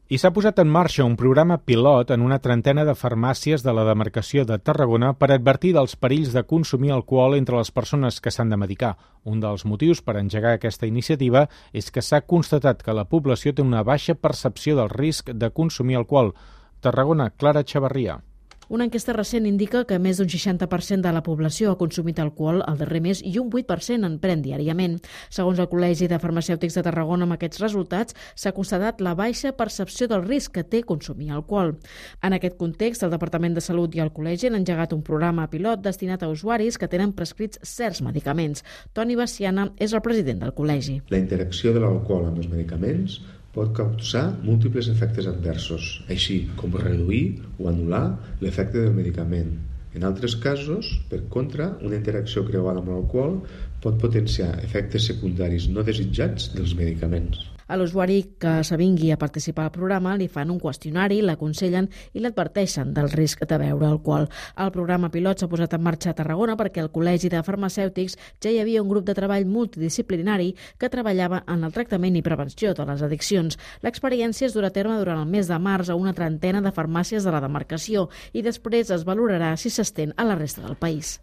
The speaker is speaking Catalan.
I s'ha posat en marxa un programa pilot en una trentena de farmàcies de la demarcació de Tarragona per advertir dels perills de consumir alcohol entre les persones que s'han de medicar. Un dels motius per engegar aquesta iniciativa és que s'ha constatat que la població té una baixa percepció del risc de consumir alcohol. Tarragona, Clara Chavarria. Una enquesta recent indica que més d'un 60% de la població ha consumit alcohol el darrer mes i un 8% en pren diàriament. Segons el Col·legi de Farmacèutics de Tarragona, amb aquests resultats s'ha constatat la baixa percepció del risc que té consumir alcohol. En aquest context, el Departament de Salut i el Col·legi han engegat un programa pilot destinat a usuaris que tenen prescrits certs medicaments. Toni Baciana és el president del Col·legi. La interacció de l'alcohol amb els medicaments pot causar múltiples efectes adversos, així com reduir o anul·lar l'efecte del medicament. En altres casos, per contra, una interacció creuada amb l'alcohol pot potenciar efectes secundaris no desitjats dels medicaments. A l'usuari que s'avingui a participar al programa li fan un qüestionari, l'aconsellen i l'adverteixen del risc de beure alcohol. El programa pilot s'ha posat en marxa a Tarragona perquè al Col·legi de Farmacèutics ja hi havia un grup de treball multidisciplinari que treballava en el tractament i prevenció de les addiccions. L'experiència es durà a terme durant el mes de març a una trentena de farmàcies de la demarcació i després es valorarà si s'estén a la resta del país.